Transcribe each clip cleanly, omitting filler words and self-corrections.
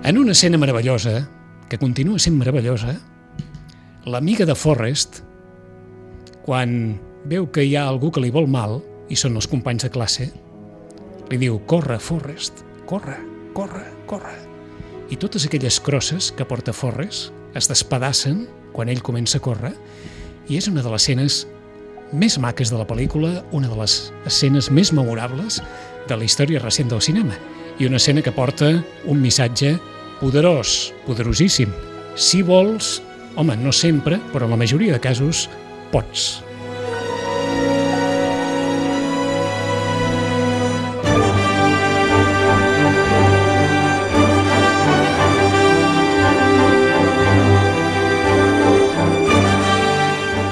En una escena meravellosa, que continua sent meravellosa, l'amiga de Forrest, quan veu que hi ha algú que li vol mal, i són els companys de classe, li diu: corre, Forrest, corre, corre, corre. I totes aquelles crosses que porta Forrest es despedacen quan ell comença a córrer, i és una de les escenes més maques de la pel·lícula, una de les escenes més memorables de la història recent del cinema, i una escena que porta un missatge poderós, poderosíssim. Si vols, home, no sempre, però en la majoria de casos, pots.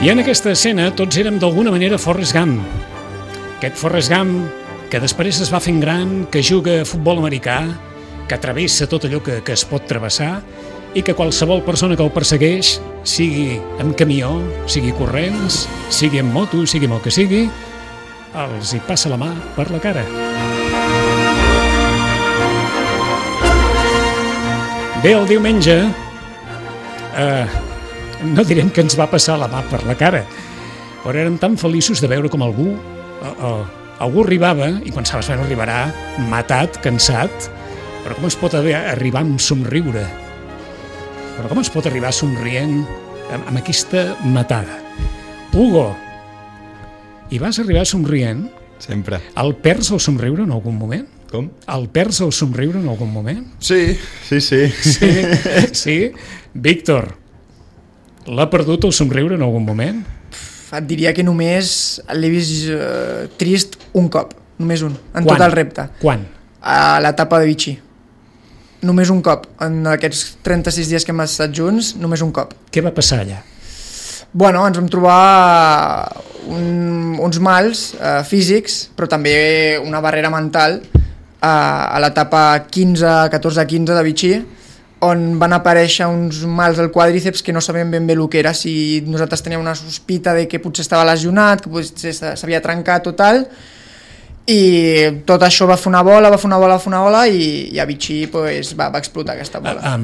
I en aquesta escena tots érem d'alguna manera Forrest Gump. Aquest Forrest Gump que després es va fent gran, que juga a futbol americà, que travessa tot allò que es pot travessar i que qualsevol persona que el persegueix, sigui amb camió, sigui corrents, sigui amb moto, sigui amb el que sigui, els hi passa la mà per la cara. Bé, el diumenge, no direm que ens va passar la mà per la cara, però érem tan feliços de veure com algú arribava, i pensaves, bueno, arribarà matat, cansat, però com es pot arribar amb somriure? Però com es pot arribar somrient amb aquesta matada? Hugo, hi vas arribar somrient? Sempre. El perds el somriure en algun moment? Com? El perds el somriure en algun moment? Sí. Sí? Víctor, l'ha perdut el somriure en algun moment? Et diria que només l'he vist trist un cop, només un, en Quan? tot el repte. Quan? A l'etapa de Vichy. Només un cop, en aquests 36 dies que hem estat junts, només un cop. Què va passar allà? Bueno, ens vam trobar uns mals físics, però també una barrera mental a l'etapa 14-15 de Vichy, on van aparèixer uns mals al quàdriceps que no sabíem ben bé el que era, si nosaltres teníem una sospita de que potser estava lesionat, que potser s'havia trencat o tal, i tot això va fer una bola i a Vichy pues, va explotar aquesta bola.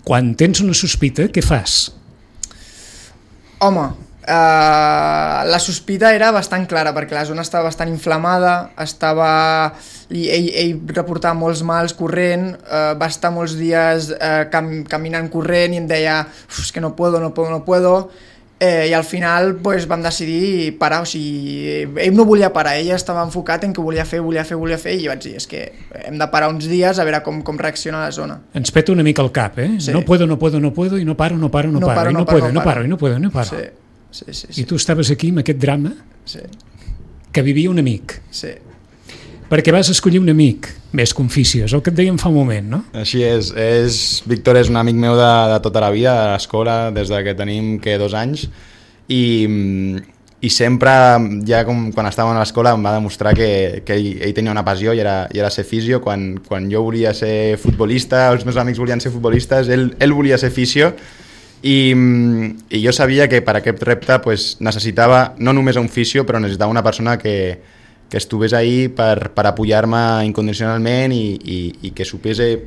Quan tens una sospita, què fas? Home, la sospita era bastant clara perquè la zona estava bastant inflamada, ell reportava molts mals corrent, va estar molts dies caminant corrent i em deia és que no puedo, i al final pues, vam decidir parar, o sigui, ell no volia parar, ell estava enfocat en que volia fer, i vaig dir, és que hem de parar uns dies a veure com reacciona la zona. Ens peta una mica el cap, eh? Sí. No puedo, i no paro, i no paro. Sí. I tu estaves aquí amb aquest drama que vivia un amic. Sí. Perquè vas escollir un amic, més Conficiós, el que et dèiem fa un moment, no? Així és. Víctor és un amic meu de tota la vida, de l'escola, des que tenim 2 anys, i sempre, ja quan estàvem a l'escola, em va demostrar que ell tenia una passió i era ser fisio. Quan jo volia ser futbolista, els meus amics volien ser futbolistes, ell volia ser fisio, i jo sabia que per aquest repte pues, necessitava no només un fisio, però necessitava una persona que estigués ahí per apoyar-me incondicionalment i que supés el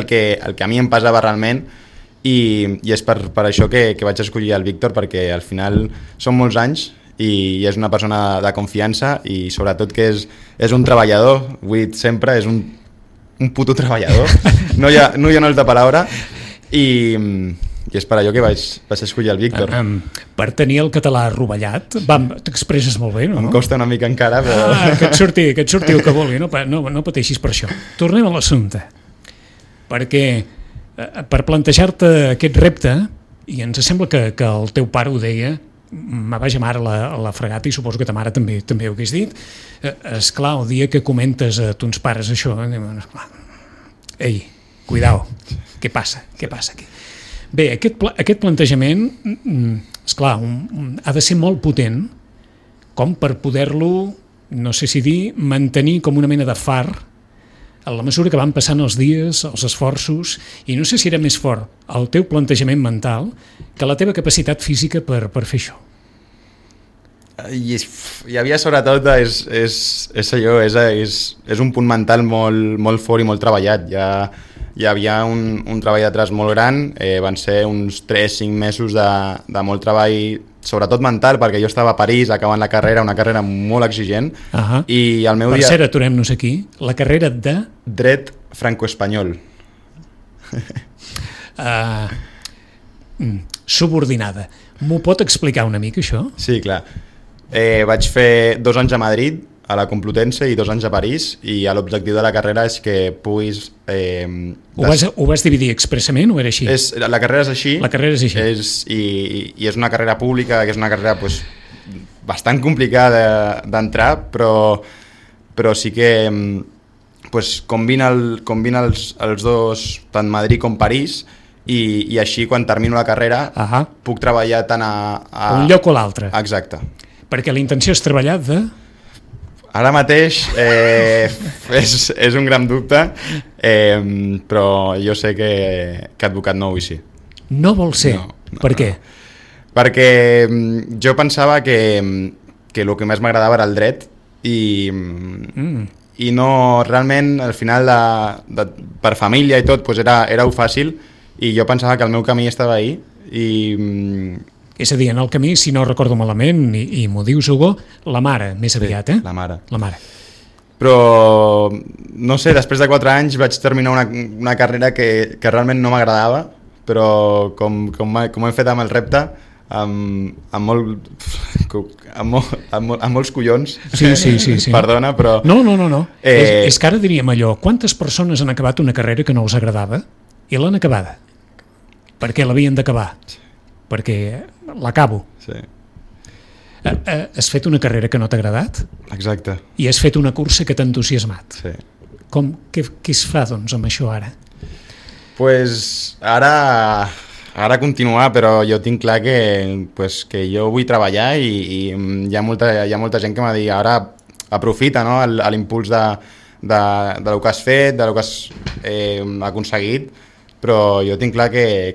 que a mi em pesava realment, i és per això que vaig escollir el Víctor, perquè al final són molts anys i és una persona de confiança i sobretot que és un treballador, vull dir sempre, és un puto treballador, no hi ha una altra paraula. I és per allò que vaig escollir el Víctor. Per tenir el català rovellat, t'expresses molt bé, no? Em costa una mica encara, però... Que et surti el que vulgui, no pateixis per això. Tornem a l'assumpte, perquè per plantejar-te aquest repte, i ens sembla que el teu pare ho deia, me vaig amar a la fregata i suposo que ta mare també ho hagués dit, esclar, el dia que comentes a tons pares això, ei, cuidao, què passa aquí? Bé, aquest plantejament, esclar, ha de ser molt potent com per poder-lo, no sé si dir, mantenir com una mena de far a la mesura que van passant els dies, els esforços, i no sé si era més fort el teu plantejament mental que la teva capacitat física per fer això. Hi havia sobretot, és allò, és un punt mental molt fort i molt treballat. Hi havia un treball d'atrás molt gran, van ser uns 3-5 mesos de molt treball, sobretot mental, perquè jo estava a París acabant la carrera, una carrera molt exigent, i el meu dia... Per cert, aturem-nos aquí, la carrera de... Dret franco-espanyol. Subordinada. M'ho pot explicar una mica, això? Sí, clar. Vaig fer 2 anys a Madrid, a la Complutense, i 2 anys a París, i l'objectiu de la carrera és que puguis... Ho vas dividir expressament o era així? La carrera és així. La carrera és així. I és una carrera pública, que és una carrera pues, bastant complicada d'entrar, però sí que pues, combina els dos, tant Madrid com París, i així quan termino la carrera puc treballar tant a un lloc o l'altre. Exacte. Perquè la intenció és treballar de... Ara mateix és un gran dubte, però jo sé que advocat no vull ser. No vol ser? No. Per què? Perquè jo pensava que el que més m'agradava era el dret i no, realment al final per família i tot pues era fàcil, i jo pensava que el meu camí estava ahí i... És a dir, en el camí, si no recordo malament, i m'ho dius, Hugo, la mare, més aviat, La mare. Però, no sé, després de 4 anys vaig terminar una carrera que realment no m'agradava, però com hem fet amb el repte, amb molts collons, sí. Perdona, però... No. És que ara diríem allò, quantes persones han acabat una carrera que no els agradava i l'han acabada? Perquè l'havien d'acabar. Perquè l'acabo. Sí. Has fet una carrera que no t'ha agradat? Exacte. I has fet una cursa que t'ha entusiasmat. Sí. Què es fa, doncs, amb això ara? Pues ara continuar, però jo tinc clar que jo vull treballar i hi ha molta gent que m'ha dit ara aprofita, no, l'impuls de lo que has fet, de lo que has aconseguit, però jo tinc clar que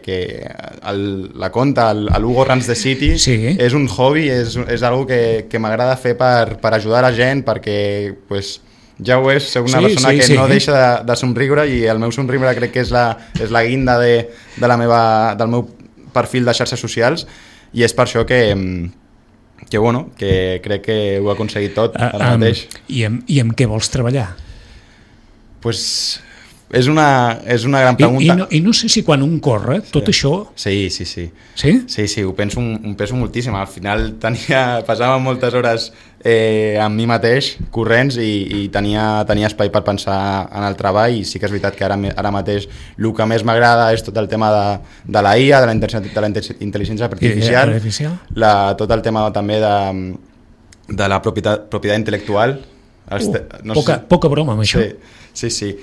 la conta, l'Hugo Runs the City, és un hobby, és algo que m'agrada fer per ajudar la gent, perquè pues, ja ho és, soc una persona que no deixa de somriure, i el meu somriure crec que és la guinda del meu perfil de xarxes socials, i és per això que crec que ho he aconseguit tot ara mateix. I amb què vols treballar? Pues... És una gran pregunta. I no sé si quan un corre, tot això... Sí. Sí? Sí, ho penso moltíssim. Al final passava moltes hores amb mi mateix, corrents, i tenia espai per pensar en el treball, i sí que és veritat que ara mateix el que més m'agrada és tot el tema de la IA, de la intel·ligència artificial, tot el tema també de la propietat intel·lectual. Poca broma amb això. Sí.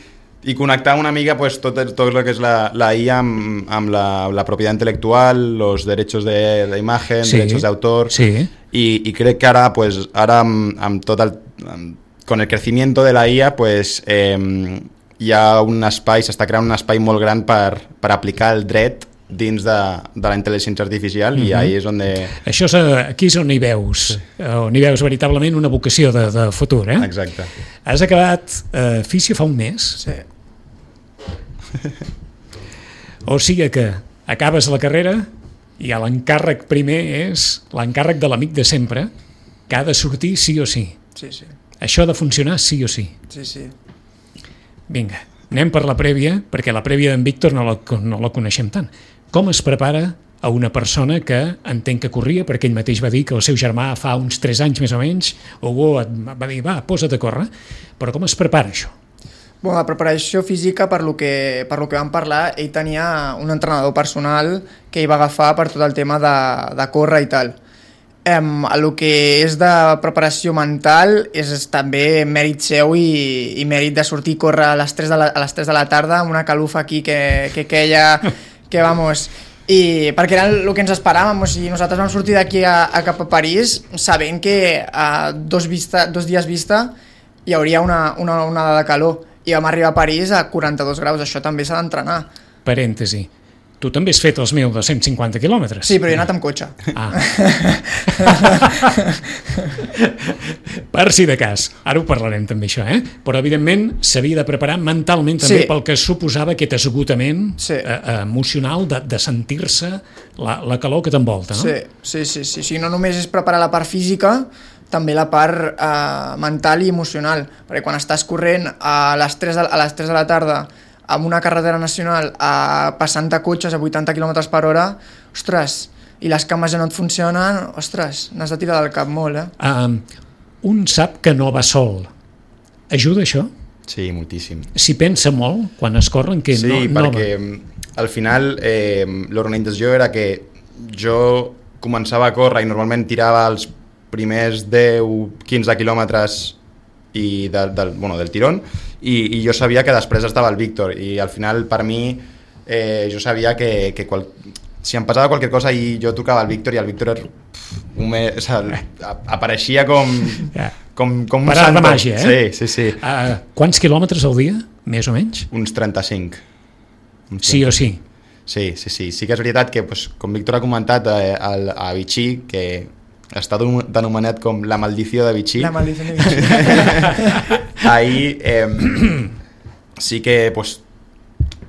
I connectar una mica pues, tot el que és la IA amb la propietat intel·lectual, los derechos de imagen, derechos de autor, y crec que ara, pues, amb con el crecimiento de la IA, pues, hi ha un espai, s'està creant un espai molt gran per aplicar el dret dins de la intel·ligència artificial, i ahí és on... Aquí és on hi veus, veritablement una vocació de futur, eh? Exacte. Has acabat Físio fa un mes? Sí. O sigui que acabes la carrera i l'encàrrec primer és l'encàrrec de l'amic de sempre, que ha de sortir sí o sí. Sí. Això ha de funcionar sí o sí. Sí. Vinga, anem per la prèvia, perquè la prèvia d'en Víctor no la coneixem tant. Com es prepara a una persona que entenc que corria, perquè ell mateix va dir que el seu germà fa uns 3 anys més o menys, Hugo va dir, posa't a córrer, però com es prepara això? La preparació física, per lo que vam parlar, ell tenia un entrenador personal que ell va agafar per tot el tema de córrer i tal. El que és de preparació mental és també mèrit seu i mèrit de sortir a córrer a les 3 de la tarda amb una calufa aquí que queia, que vamos... I perquè era el que ens esperàvem, o sigui, nosaltres vam sortir d'aquí cap a París sabent que a 2 dies vista hi hauria una onada de calor, i vam arribar a París a 42 graus, això també s'ha d'entrenar. Parèntesi, Tu també has fet els 1.250 quilòmetres. Sí, però he anat amb cotxe. Ah. Per si de cas. Ara ho parlarem també, això, Però, evidentment, s'havia de preparar mentalment també pel que suposava aquest esgotament emocional de sentir-se la calor que t'envolta, no? Sí. No només és preparar la part física, també la part mental i emocional, perquè quan estàs corrent a les 3 de la tarda amb una carretera nacional passant de cotxes a 80 km per hora, ostres, i les cames ja no et funcionen, ostres, n'has de tirar del cap molt, Un sap que no va sol. Ajuda això? Sí, moltíssim. S'hi pensa molt quan es corren? Que sí, perquè al final l'organització era que jo començava a córrer i normalment tirava els primers 10-15 quilòmetres del tirón, i jo sabia que després estava el Víctor, i al final per mi jo sabia que si em passava qualque cosa i jo tocava el Víctor, i el Víctor apareixia com un parar de màgia, Sí. Quants quilòmetres al dia, més o menys? Uns 35. Sí o sí? Sí que és veritat que, com Víctor ha comentat, a Vichy, que està denominat com la maldició de Vichy. La maldició de Vichy. Ahir sí que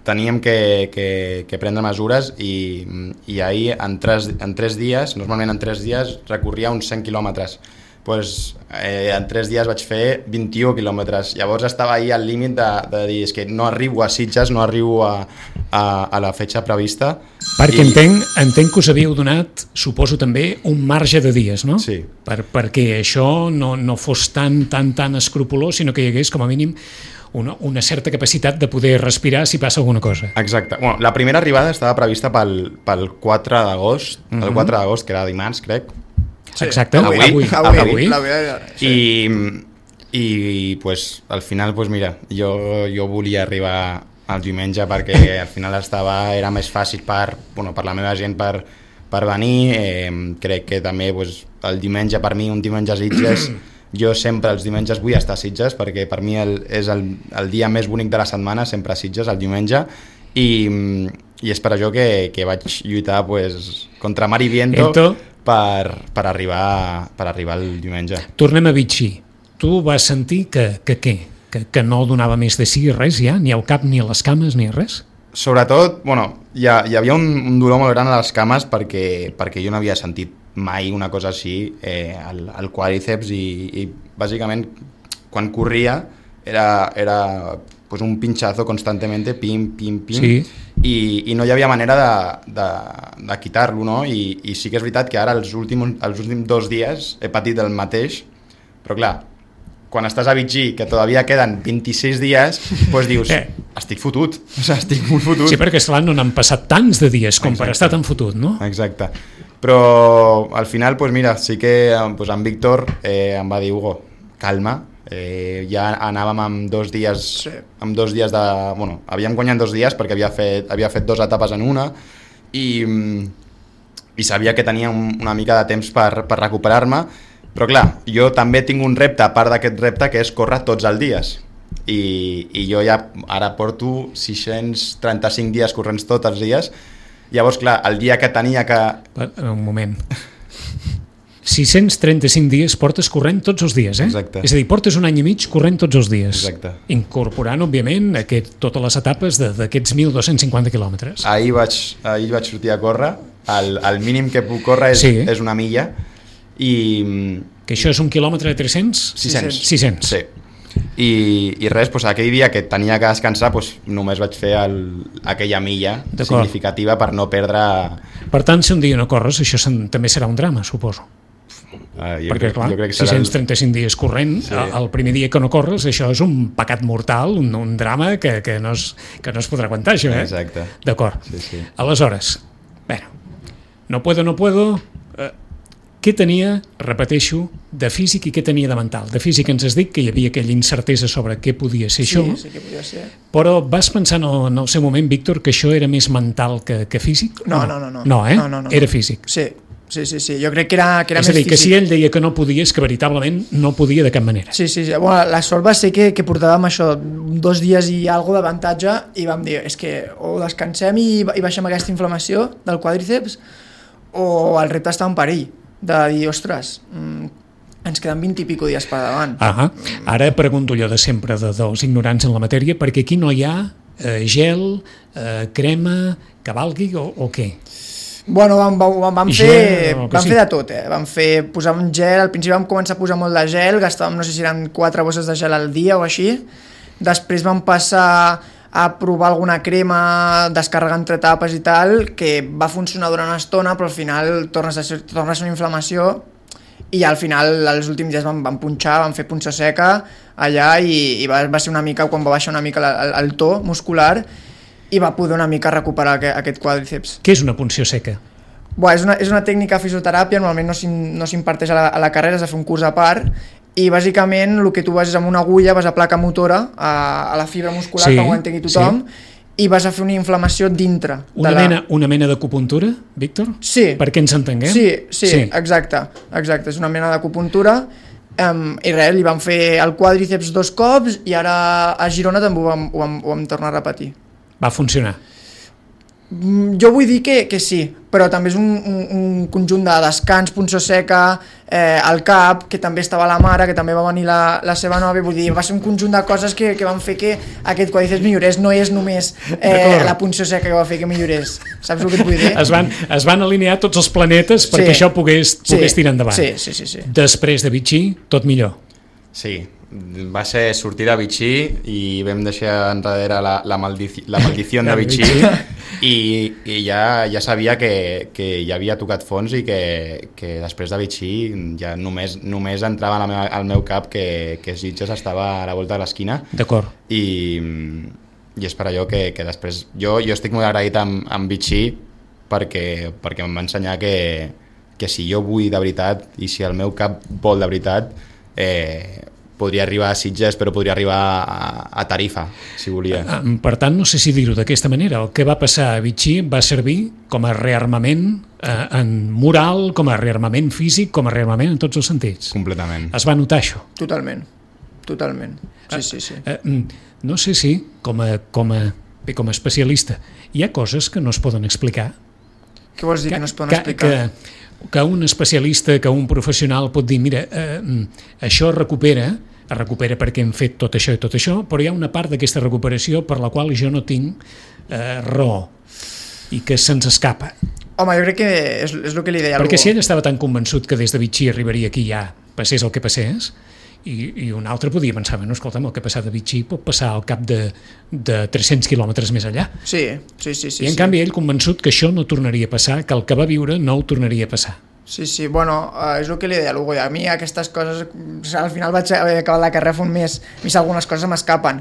teníem que prendre mesures, i ahir en 3 dies, normalment en 3 dies recorria uns 100 quilòmetres. En 3 dies vaig fer 21 quilòmetres. Llavors estava ahir al límit de dir, és que no arribo a Sitges, no arribo a la fetge prevista. Perquè entenc que us havíeu donat, suposo també, un marge de dies, no? Sí. Perquè això no fos tan escrupolós, sinó que hi hagués com a mínim una certa capacitat de poder respirar si passa alguna cosa. Exacte. Bueno, la primera arribada estava prevista pel 4 d'agost, el 4 d'agost, que era dimarts, crec. Sí. Exacte, avui. I al final, mira, jo volia arribar al diumenge perquè al final era més fàcil per la meva gent per venir. Crec que també el diumenge, per mi, un diumenge a Sitges, jo sempre els diumenges vull estar a Sitges, perquè per mi és el dia més bonic de la setmana, sempre a Sitges, el diumenge, i és per això que vaig lluitar contra mar i viento per arribar el diumenge. Tornem a Vichy. Tu vas sentir que no donava més de si res ja? Ni al cap, ni a les cames, ni res? Sobretot, hi havia un dolor molt gran a les cames perquè jo no havia sentit mai una cosa així al quàdriceps, i bàsicament quan corria era un pinchazo constantemente, pim, pim, pim, sí. I no hi havia manera de quitar-lo, no? I sí que és veritat que ara els últims 2 dies he patit el mateix, però clar, quan estàs a Vichy, que todavía queden 26 dies, dius, estic fotut, estic molt fotut. Sí, perquè esclar, no n'han passat tants de dies com per estar tan fotut, no? Exacte. Però al final, mira, sí que en Víctor em va dir, Hugo, calma, ja anàvem amb 2 dies, havíem guanyat 2 dies perquè havia fet 2 etapes en una, i sabia que tenia una mica de temps per recuperar-me, però clar, jo també tinc un repte a part d'aquest repte, que és córrer tots els dies, i jo ja ara porto 635 dies corrents tots els dies. Llavors, clar, el dia que tenia que... Un moment. 635 dies portes corrent tots els dies, Exacte. És a dir, portes un any i mig corrent tots els dies. Exacte. Incorporant, òbviament, totes les etapes d'aquests 1.250 quilòmetres. Ahir vaig sortir a córrer, el mínim que puc córrer és una milla, Que això és 1 quilòmetre de 300? 600. Sí. I res, aquell dia que tenia que descansar, només vaig fer aquella milla significativa per no perdre... Per tant, si un dia no corres, això també serà un drama, suposo. Perquè, clar, jo crec que 635 dies corrent, el primer dia que no corres, això és un pecat mortal, un drama que no es podrà aguantar, això, Exacte. D'acord. Sí. Aleshores, no puedo... Què tenia, repeteixo, de físic i què tenia de mental? De físic ens has dit que hi havia aquella incertesa sobre què podia ser això. Sí que podia ser. Però vas pensar en el seu moment, Víctor, que això era més mental que físic? No. No, Era físic. Sí. Jo crec que era és més a dir, físic. que si ell deia que no podia, és que veritablement no podia de cap manera. Sí. Bueno, la sort va ser que portàvem això 2 dies i alguna d'avantatge i vam dir, és que o descansem i baixem aquesta inflamació del quàdriceps o el repte està en perill de dir, ostres, ens queden 20 i pico dies per davant. Ara pregunto allò de sempre dels ignorants en la matèria, perquè aquí no hi ha gel, crema, que valgui o què? Bueno, vam fer de tot, Vam posar un gel, al principi vam començar a posar molt de gel, gastàvem, no sé si eren 4 bosses de gel al dia o així, després vam passar a provar alguna crema, descarregar entre tapes i tal, que va funcionar durant una estona, però al final tornes a ser una inflamació i al final els últims dies vam punxar, vam fer punxa seca allà i va ser una mica, quan va baixar una mica el to muscular i va poder una mica recuperar aquest quàdriceps. Què és una punció seca? És una tècnica de fisioteràpia, normalment no s'imparteix a la carrera, has de fer un curs a part i bàsicament el que tu vas és amb una agulla, vas a placa motora a la fibra muscular, que ho entengui tothom, i vas a fer una inflamació dintre. Una mena d'acupuntura, Víctor? Sí. Perquè ens entenguem? Sí, exacte. És una mena d'acupuntura i res, li vam fer el quàdriceps 2 cops i ara a Girona també ho vam tornar a repetir. Va funcionar? Jo vull dir que sí, però també és un conjunt de descans, punció seca, el cap, que també estava la mare, que també va venir la seva nòvia, vull dir, va ser un conjunt de coses que van fer que aquest quàdriceps millorés, no és només la punció seca que va fer que millorés, saps el que et vull dir? Es van alinear tots els planetes perquè això pogués tirar endavant. Sí. Després de Vichy, tot millor. Sí, va ser sortir de Vichy i vam deixar enrere la maldició de Vichy i ja sabia que ja havia tocat fons i que després de Vichy ja només entrava al meu cap que Sitges estava a la volta de l'esquina. D'acord. I és per allò que després jo estic molt agraït amb Vichy perquè em va ensenyar que si jo vull de veritat i si el meu cap vol de veritat podria arribar a Sitges, però podria arribar a Tarifa, si volia. Per tant, no sé si dir-ho d'aquesta manera. El que va passar a Vichy va servir com a rearmament en moral, com a rearmament físic, com a rearmament en tots els sentits. Completament. Es va notar això? Totalment. Sí. No sé si, com a especialista, hi ha coses que no es poden explicar? Què vols dir que no es poden explicar? Que un especialista, que un professional pot dir, mira, això es recupera perquè hem fet tot això i tot això, però hi ha una part d'aquesta recuperació per la qual jo no tinc raó i que se'ns escapa. Home, jo crec que és el que li deia. Perquè si ell estava tan convençut que des de Vichy arribaria aquí ja, passés el que passés, i un altre podia pensar, bueno, escolta'm, el que ha passat a Vichy pot passar al cap de 300 quilòmetres més allà. Sí. I en canvi ell convençut que això no tornaria a passar, que el que va viure no ho tornaria a passar. Sí, bueno, és el que li deia a l'Hugo, a mi aquestes coses, al final vaig haver acabat la carrera fa un mes, a mi algunes coses m'escapen,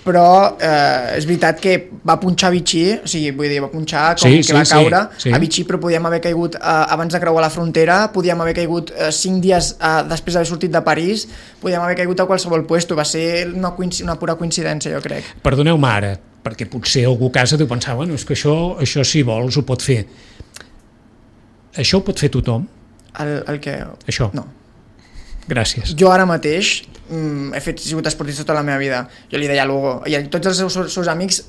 però és veritat que va punxar a Vichy, o sigui, vull dir, va punxar com que va caure a Vichy, però podíem haver caigut abans de creuar la frontera, podíem haver caigut 5 dies després d'haver sortit de París, podíem haver caigut a qualsevol puesto, va ser una pura coincidència, jo crec. Perdoneu-me ara, perquè potser algú a casa deu pensar, bueno, és que això si vols ho pot fer. Això ho pot fer tothom? El què? Això? No. Gràcies. Jo ara mateix he sigut esportista tota la meva vida. Jo li deia a l'Hugo, i tots els seus amics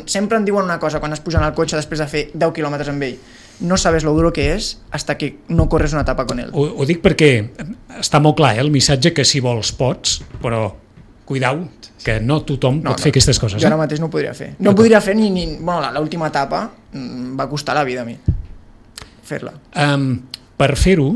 sempre em diuen una cosa quan es pugen al cotxe després de fer 10 quilòmetres amb ell. No sabes lo duro que és hasta que no corres una etapa con él. Ho dic perquè està molt clar, el missatge que si vols pots, però cuidau, que no tothom pot fer aquestes coses. Jo ara mateix no ho podria fer. No podria fer ni bueno, l'última etapa va costar la vida a mi fer-la. Per fer-ho,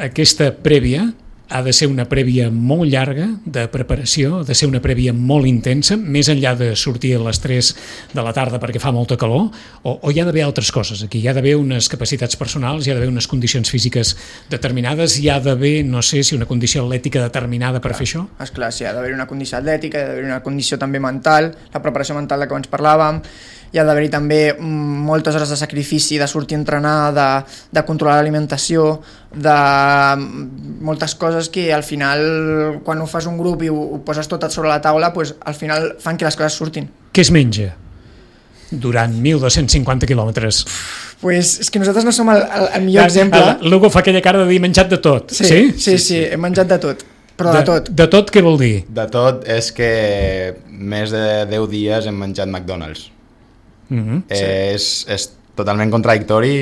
aquesta prèvia ha de ser una prèvia molt llarga de preparació, ha de ser una prèvia molt intensa, més enllà de sortir a les 3 de la tarda perquè fa molta calor, o hi ha d'haver altres coses aquí, hi ha d'haver unes capacitats personals, hi ha d'haver unes condicions físiques determinades, hi ha d'haver, no sé si una condició atlètica determinada per fer això? Esclar, sí, hi ha d'haver una condició atlètica, hi ha d'haver una condició també mental, la preparació mental de què abans parlàvem, hi ha d'haver-hi també moltes hores de sacrifici, de sortir a entrenar, de controlar l'alimentació, de moltes coses que al final, quan ho fas un grup i ho poses tot sobre la taula, pues, al final fan que les coses surtin. Què es menja? durant 1.250 quilòmetres? Pues és que nosaltres no som el millor exemple. L'Hugo fa aquella cara de dir menjat de tot. Sí, hem menjat de tot. Però de tot. De tot què vol dir? De tot és que més de 10 dies hem menjat McDonald's. És totalment contradictori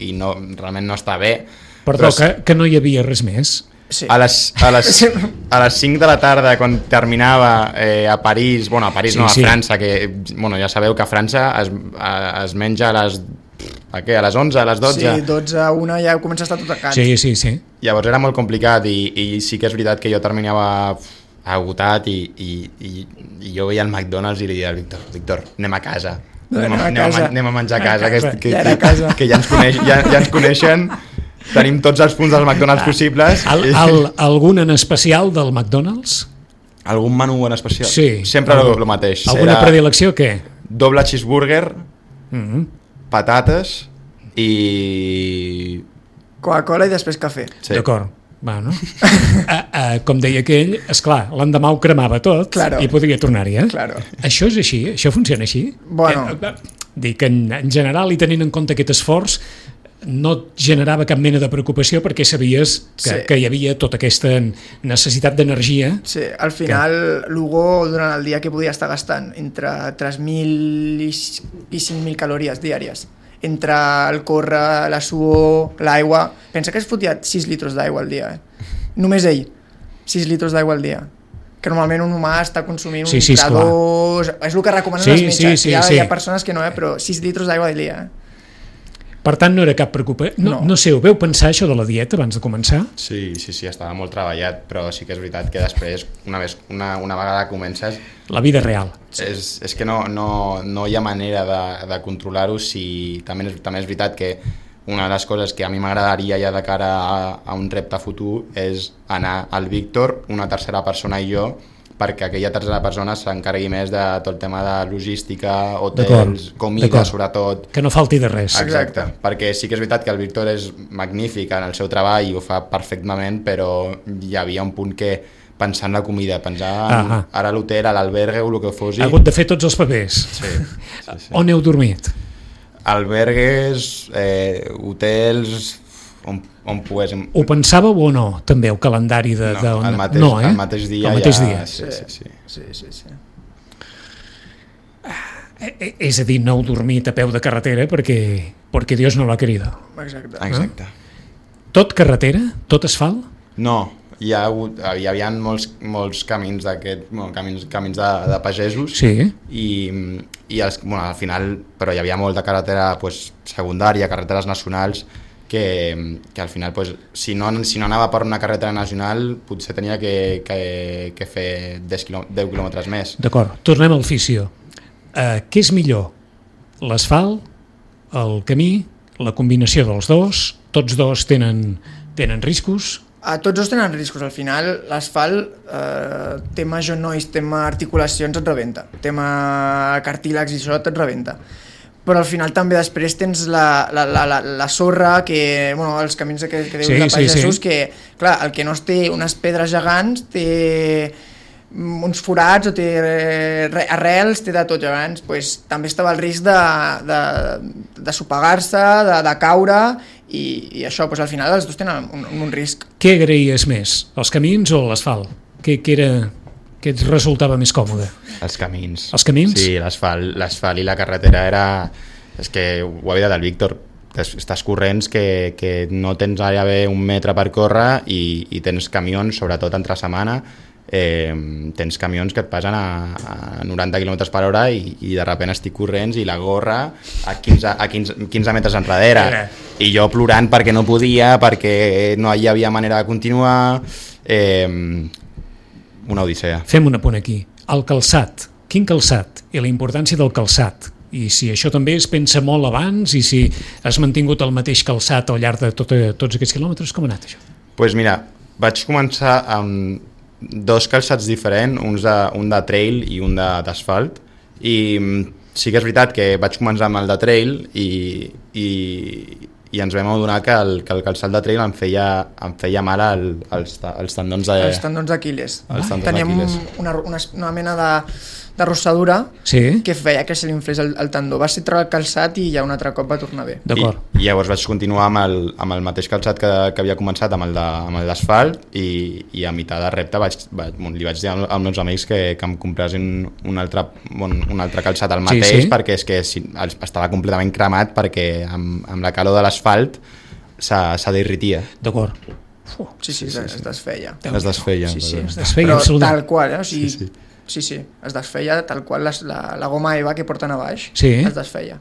i no, realment no està bé. Perdó, que no hi havia res més? Sí. A les 5 de la tarda, quan terminava a París, a França, que ja sabeu que a França es menja a les 11, a les 12? Sí, 12, 1 ja comença a estar tot a casa. Sí. Llavors era molt complicat i sí que és veritat que jo terminava agotat i jo veia el McDonald's i li deia al Víctor, anem a casa. Anem a menjar a casa, que ja ens coneixen, tenim tots els punts dels McDonald's possibles. Algun en especial del McDonald's? Algun menú en especial? Sí. Sempre el mateix. Alguna predilecció, què? Doble cheeseburger, patates i... Coca-Cola i després cafè. Sí. D'acord. Bueno. Com deia aquell, esclar, l'endemà ho cremava tot, claro, i podia tornar-hi, Claro. Això és així? Això funciona així? Bueno. Dic que en general, i tenint en compte aquest esforç, no et generava cap mena de preocupació perquè sabies que hi havia tota aquesta necessitat d'energia. Sí, al final l'Hugo durant el dia que podia estar gastant entre 3.000 i 5.000 calories diàries. Entre el córrer, la suor, l'aigua... Pensa que es fotia 6 litres d'aigua al dia, Només ell, 6 litres d'aigua al dia. Que normalment un humà està consumint un litre, 2... És el que recomanen els metges. Hi ha persones que no, però 6 litres d'aigua al dia, Per tant, no era cap preocupació. No sé, ho veu pensar, això de la dieta, abans de començar? Sí, estava molt treballat, però sí que és veritat que després, una vegada comences... La vida real. És que no hi ha manera de controlar-ho. També és veritat que una de les coses que a mi m'agradaria ja de cara a un repte futur és anar al Víctor, una tercera persona i jo, perquè aquella tercera persona s'encarregui més de tot el tema de logística, hotels, comida, sobretot. Que no falti de res. Exacte, perquè sí que és veritat que el Víctor és magnífic en el seu treball i ho fa perfectament, però hi havia un punt que pensar en la comida, pensar ara a l'hotel, a l'albergue o el que fos. Ha hagut de fer tots els papers. Sí. On heu dormit? Albergues, hotels... on poguéssim... Ho pensàveu o no, també, el calendari de... el mateix dia. El mateix dia. Sí. És a dir, no heu dormit a peu de carretera perquè Dios no l'ha querido. Exacte. Tot carretera? Tot asfalt? No, hi havia molts camins camins de pagesos, i al final, però hi havia molt de carretera secundària, carreteres nacionals, que al final, si no anava per una carretera nacional, potser tenia que fer 10 quilòmetres més. D'acord, tornem al fisio. Què és millor? L'asfalt, el camí, la combinació dels dos? Tots dos tenen riscos? Tots dos tenen riscos. Al final, l'asfalt, tema genolls, tema articulacions, et rebenta. Tema cartílags i això et rebenta. Però al final també després tens la sorra, els camins que dius de pagesos, que clar, el que no té unes pedres gegants té uns forats o té arrels, té de tot gegants, també estava el risc de sopegar-se, de caure, i això, al final els dos tenen un risc. Què agraies més, els camins o l'asfalt? Què et resultava més còmode? Els camins. Els camins? Sí, l'asfalt i la carretera era... És que ho havia dit el Víctor, estàs corrents que no tens gairebé un metre per córrer i tens camions, sobretot entre setmana, tens camions que et passen a 90 km per hora i de sobte estic corrents i la gorra a 15 metres enrere. I jo plorant perquè no podia, perquè no hi havia manera de continuar... Una odissea. Fem un apunt aquí. El calçat. Quin calçat? I la importància del calçat. I si això també es pensa molt abans i si has mantingut el mateix calçat al llarg de tots aquests quilòmetres, com ha anat això? Doncs mira, vaig començar amb 2 calçats diferents, un de trail i un d'asfalt, i sí que és veritat que vaig començar amb el de trail i ens vam adonar que el calçat de trail em feia mal als tendons d'Aquil·les. Teníem una mena de rossadura Sí. que feia que se li inflés el tendó. Va ser treure el calçat i ja un altre cop va tornar bé. D'acord. I llavors vaig continuar amb el mateix calçat que havia començat, amb el d'asfalt, i a meitat de repte li vaig dir als meus amics que em compressin un altre calçat al mateix, perquè és que estava completament cremat, perquè amb la calor de l'asfalt se derritia. D'acord. Sí, es desfeia. Es desfeia. Sí, es desfeia, però absolutament. tal qual, o sigui, sí, es desfeia tal qual la goma EVA que porten a baix, es desfeia.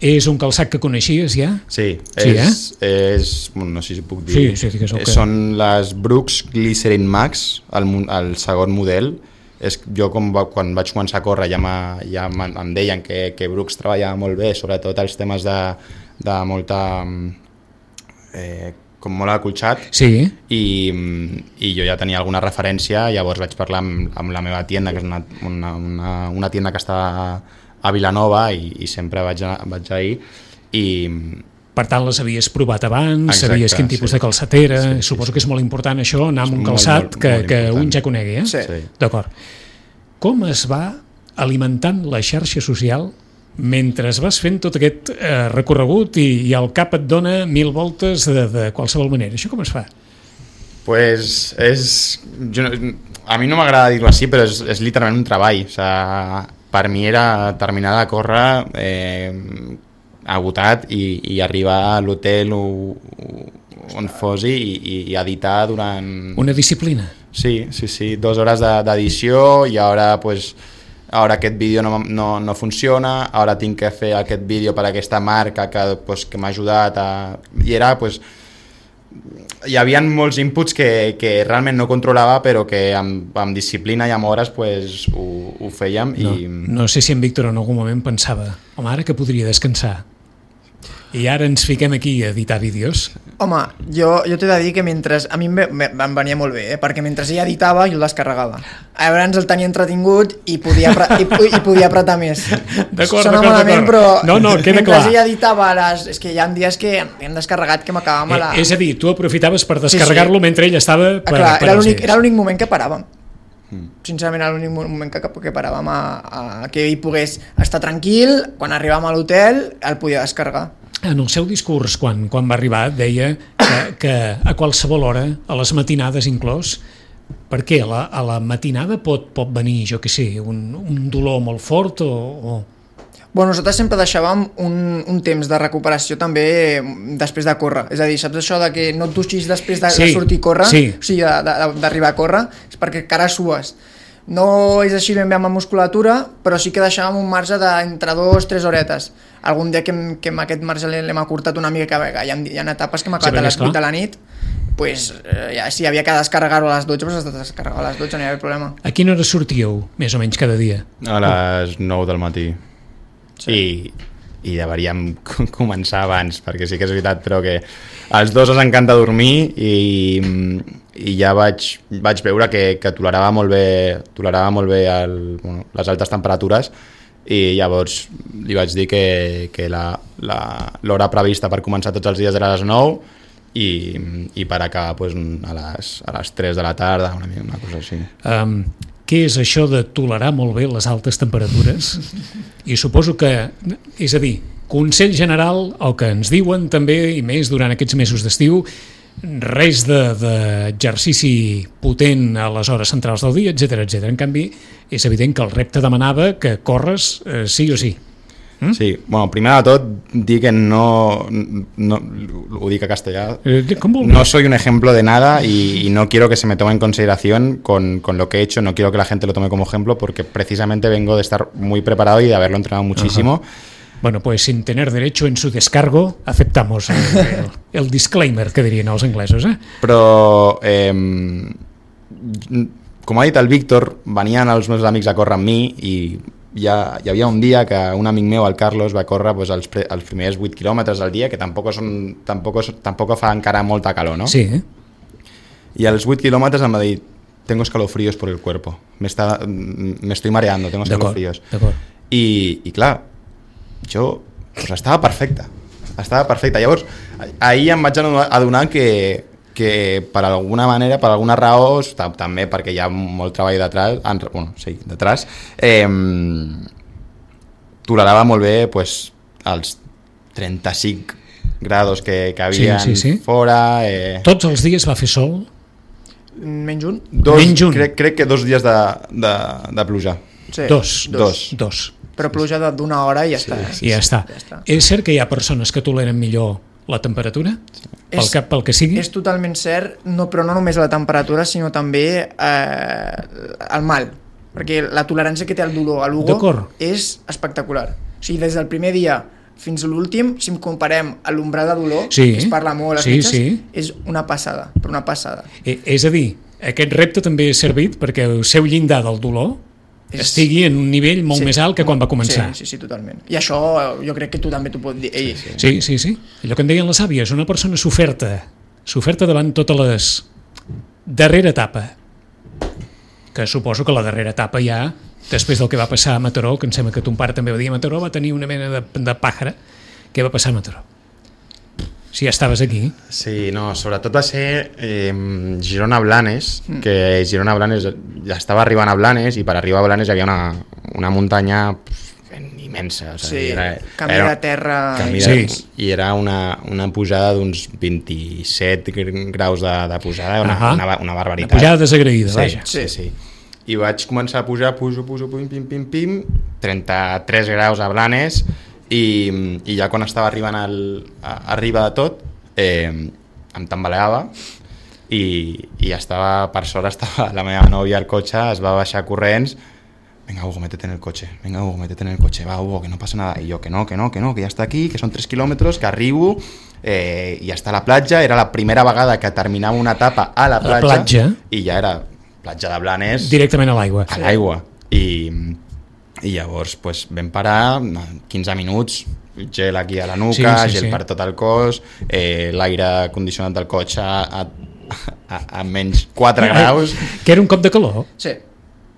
És un calçat que coneixies ja? Sí, no sé si puc dir. Sí, digues el que... Són les Brooks Glycerin Max, el segon model. Jo quan vaig començar a córrer ja em deien que Brooks treballava molt bé, sobretot els temes de molta... com molt acolxat, i jo ja tenia alguna referència. Llavors vaig parlar amb la meva tienda, que és una tienda que està a Vilanova, i sempre vaig ahir, i... Per tant, les havies provat abans, sabies quin tipus de calçat era, suposo que és molt important això, anar amb un calçat que un ja conegui, Sí. D'acord. Com es va alimentant la xarxa social mentre vas fent tot aquest recorregut i el cap et dona 1000 voltes de qualsevol manera? Això com es fa? Pues a mi no m'agrada dir-ho així, però és literalment un treball. O sigui, per mi era terminar de córrer agotat i arribar a l'hotel on fos i editar durant... Una disciplina. Sí, 2 hores d'edició, i ara aquest vídeo no funciona, ara tinc que fer aquest vídeo per a aquesta marca que m'ha ajudat i era hi havia molts inputs que realment no controlava, però que amb disciplina i amb hores ho fèiem. No sé si en Víctor en algun moment pensava, home, ara que podria descansar i ara ens fiquem aquí a editar vídeos. Home, jo t'he de dir que a mi em venia molt bé, perquè mentre ella editava jo el descarregava. Llavors el tenia entretingut i podia apretar més. D'acord. Però no, queda clar. Mentre ella editava, és que hi ha dies que hem descarregat que m'acabàvem a la... És a dir, tu aprofitaves per descarregar-lo mentre ella estava... Clar, era l'únic moment que paràvem. Sincerament era l'únic moment que paràvem a que ell pogués estar tranquil. Quan arribàvem a l'hotel el podia descarregar. En el seu discurs, quan va arribar, deia que a qualsevol hora, a les matinades inclòs, perquè a la matinada pot venir, jo què sé, un dolor molt fort o... Bueno, nosaltres sempre deixàvem un temps de recuperació també després de córrer. És a dir, saps això de que no et dutxis després de sortir a córrer? Sí. O sigui, d'arribar a córrer, és perquè encara sues. No és així ben bé amb la musculatura, però sí que deixàvem un marge d'entre 2-3 horetes. Algun dia que aquest marge l'hem acurtat una mica, que hi ha etapes que m'ha acabat a les 8 de la nit, si havia que descarregar-ho a les 12, doncs has de descarregar a les 12, no hi havia problema. A quina hora sortíeu, més o menys, cada dia? A les 9 del matí. Sí. I deveríem començar abans, perquè sí que és veritat, però que als 2 ens encanta dormir i ja vaig veure que tolerava molt bé les altes temperatures, i llavors li vaig dir que l'hora prevista per començar tots els dies era a les 9 i per acabar a les 3 de la tarda, una cosa així. Què és això de tolerar molt bé les altes temperatures? I suposo que, és a dir, consell general, el que ens diuen també, i més durant aquests mesos d'estiu, res d'exercici potent a les hores centrals del dia, etc. En canvi, és evident que el repte demanava que corres sí o sí. Sí, bueno, primer de tot dir que no ho dic a castellà, no soy un ejemplo de nada y no quiero que se me tome en consideración con lo que he hecho, no quiero que la gente lo tome como ejemplo, porque precisamente vengo de estar muy preparado y de haberlo entrenado muchísimo. Bueno, pues sin tener derecho en su descargo, aceptamos el disclaimer que dirien els anglesos, Però, com ha dit el Víctor, venien els meus amics a córrer amb mi i hi havia un dia que un amic meu, el Carlos, va córrer els primers 8 quilòmetres al dia, que tampoc fa encara molta calor, ¿no? Sí. I als 8 quilòmetres em va dir, tengo escalofríos por el cuerpo, me estoy mareando, tengo escalofríos. I clar, jo estava perfecte. Llavors, ahir em vaig adonar que que per alguna manera, per alguna raó, també perquè hi ha molt treball detrás, tolerava molt bé pues, els 35 grados que havia fora. Tots els dies va fer sol? Menys un? Crec que 2 dies de pluja. Sí. Dos. Però pluja d'una hora i ja està. I ja està. És cert que hi ha persones que toleren millor la temperatura? Pel que sigui? És totalment cert, però no només la temperatura, sinó també el mal. Perquè la tolerància que té el dolor a l'Hugo és espectacular. O sigui, des del primer dia fins a l'últim, si em comparem a l'umbral de dolor, que es parla molt a les metges, és una passada, però una passada. És a dir, aquest repte també ha servit perquè el seu llindar del dolor estigui en un nivell molt més alt que quan va començar. Sí, totalment. I això jo crec que tu també t'ho pots dir. Sí. Allò que en deien les àvies, una persona s'oferta davant totes les darrera etapa, que suposo que la darrera etapa ja, després del que va passar a Mataró, que em sembla que ton pare també va dir a Mataró, va tenir una mena de pàjara. Què va passar a Mataró? Si ja estaves aquí. Sí, no, sobretot va ser Girona-Blanes, que Girona-Blanes ja estava arribant a Blanes, i per arribar a Blanes hi havia una muntanya immensa. O sigui, camí de terra. I era una pujada d'uns 27 graus de pujada, una barbaritat. Una pujada desagraïda, vaja. Sí. I vaig començar a pujar, pujo, pim, 33 graus a Blanes, i ja quan estava arribant arriba de tot em tambaleava i estava, per sort estava la meva nòvia al cotxe, es va baixar corrents. Venga, Hugo, métete en el coche. Va, Hugo, que no pasa nada. Y yo, que no, que ya está aquí, que son 3 kilómetros, que arribo, i ja està a la platja. Era la primera vegada que terminava una etapa a la platja. I ja era platja de Blanes. Directament a l'aigua. A l'aigua. I llavors pues, vam parar 15 minuts, gel aquí a la nuca, gel per tot el cos, l'aire condicionat del cotxe a menys 4 graus. Que era un cop de calor? Sí.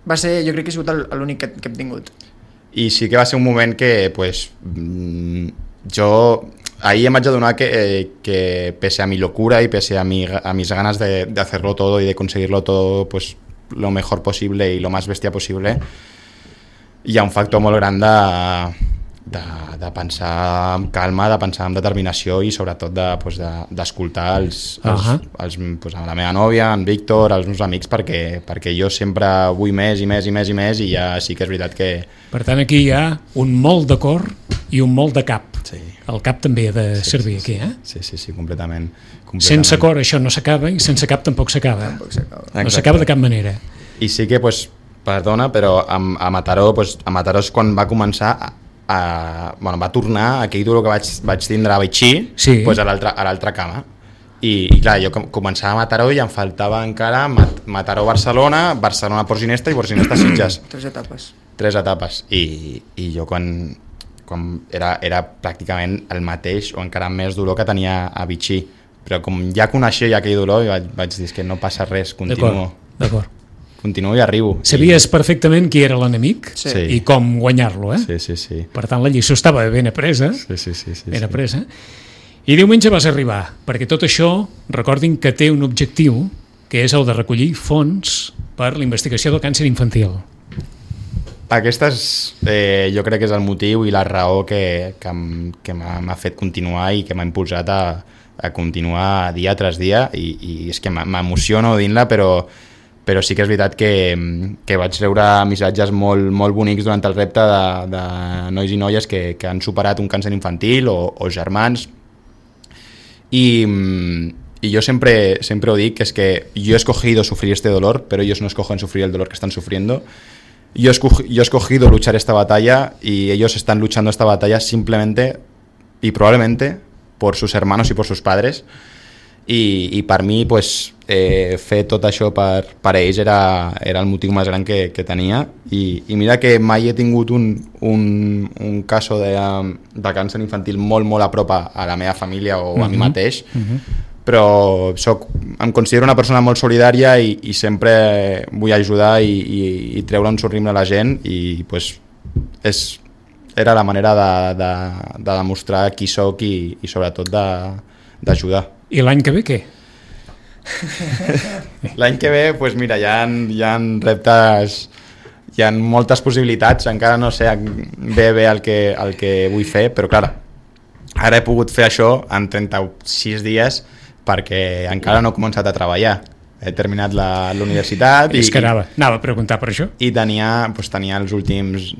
Va ser, jo crec que ha sigut l'únic que hem tingut. I sí que va ser un moment que pues, jo ahí em vaig adonar que pese a mi locura y pese a mis ganas de hacerlo todo y de conseguirlo todo pues, lo mejor posible y lo más bestia posible, hi ha un factor molt gran de pensar amb calma, de pensar amb determinació i sobretot d'escoltar la meva nòvia, en Víctor, els meus amics, perquè jo sempre vull més i ja sí que és veritat que... Per tant, aquí hi ha un molt de cor i un molt de cap. Sí. El cap també ha de servir aquí, eh? Sí, completament. Sense cor això no s'acaba i sense cap tampoc s'acaba. No s'acaba de cap manera. I sí que, perdona, però a Mataró és quan va començar va tornar aquell dolor que vaig tindre a Betxí a l'altra cama. I clar, jo començava a Mataró i em faltava encara Mataró-Barcelona, Barcelona-Port Ginesta i Port Ginesta-Sitges. 3 etapes. I jo quan era pràcticament el mateix o encara més dolor que tenia a Betxí, però com ja coneixia aquell dolor vaig dir que no passa res, D'acord. Continuo i arribo. Sabies perfectament qui era l'enemic i com guanyar-lo, eh? Sí. Per tant, la lliçó estava ben apresa. Sí. Ben apresa. I diumenge vas arribar, perquè tot això, recordin que té un objectiu, que és el de recollir fons per la investigació del càncer infantil. Aquesta jo crec que és el motiu i la raó que m'ha fet continuar i que m'ha impulsat a continuar dia tras dia, i és que m'emociono dint-la, però sí que és veritat que vaig rebre missatges molt bonics durant el repte de nois i noies que han superat un càncer infantil o germans. Y yo siempre lo digo, que es que yo he escogido sufrir este dolor, pero ellos no escogen sufrir el dolor que están sufriendo. Yo he escogido luchar esta batalla y ellos están luchando esta batalla simplemente y probablemente por sus hermanos y por sus padres. I per mi pues, fer tot això per ells era el motiu més gran que tenia, i mira que mai he tingut un cas de càncer infantil molt a prop a la meva família o a mi mateix, però em considero una persona molt solidària i sempre vull ajudar i treure un somriure a la gent, i pues, era la manera de demostrar qui soc i sobretot d'ajudar. I l'any que ve què? L'any que ve, doncs mira, hi ha reptes, hi ha moltes possibilitats, encara no sé bé el que vull fer, però clar, ara he pogut fer això en 36 dies perquè encara no he començat a treballar. He terminat la universitat És que anava a preguntar per això. I tenia els últims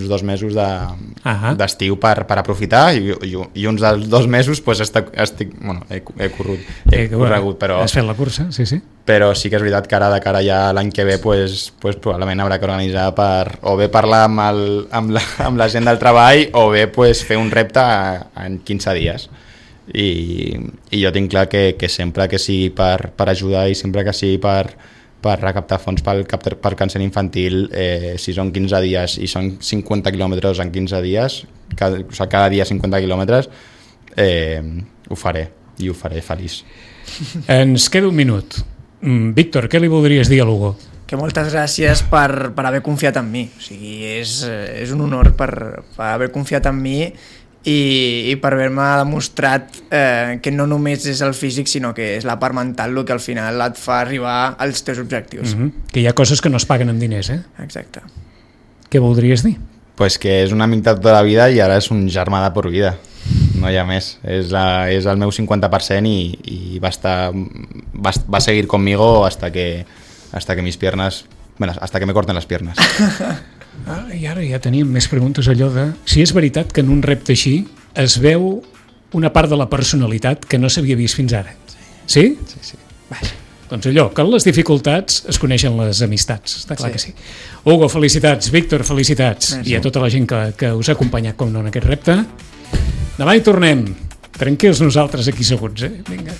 2 mesos d'estiu per aprofitar i uns dels 2 mesos pues, he corregut, però... Has fet la cursa, sí. Però sí que és veritat que ara de cara ja l'any que ve pues, probablement haurà que organitzar o bé parlar amb la gent del treball o bé pues, fer un repte en 15 dies. I jo tinc clar que sempre que sigui per ajudar i sempre que sigui per recaptar fons pel càncer infantil, si són 15 dies i són 50 quilòmetres en 15 dies, cada dia 50 quilòmetres, ho faré i ho faré feliç. Ens queda un minut. Víctor, què li voldries dir a l'Hugo? Que moltes gràcies per haver confiat en mi. O sigui, és un honor per haver confiat en mi i per haver-me demostrat que no només és el físic sinó que és la part mental el que al final et fa arribar als teus objectius. Que hi ha coses que no es paguen amb diners, Exacte. Què voldries dir? Pues que és un amic de tota la vida i ara és un germà de por vida, no hi ha més. És el meu 50% i va seguir conmigo hasta que mis piernas, bueno, hasta que me corten las piernas. I ara ja teníem més preguntes, allò de si és veritat que en un repte així es veu una part de la personalitat que no s'havia vist fins ara. Sí? Sí. Doncs allò, que en les dificultats es coneixen les amistats, està clar que sí. Hugo, felicitats, Víctor, felicitats, i a tota la gent que us ha acompanyat com no en aquest repte. Demà hi tornem, tranquils nosaltres aquí seguts, Vinga.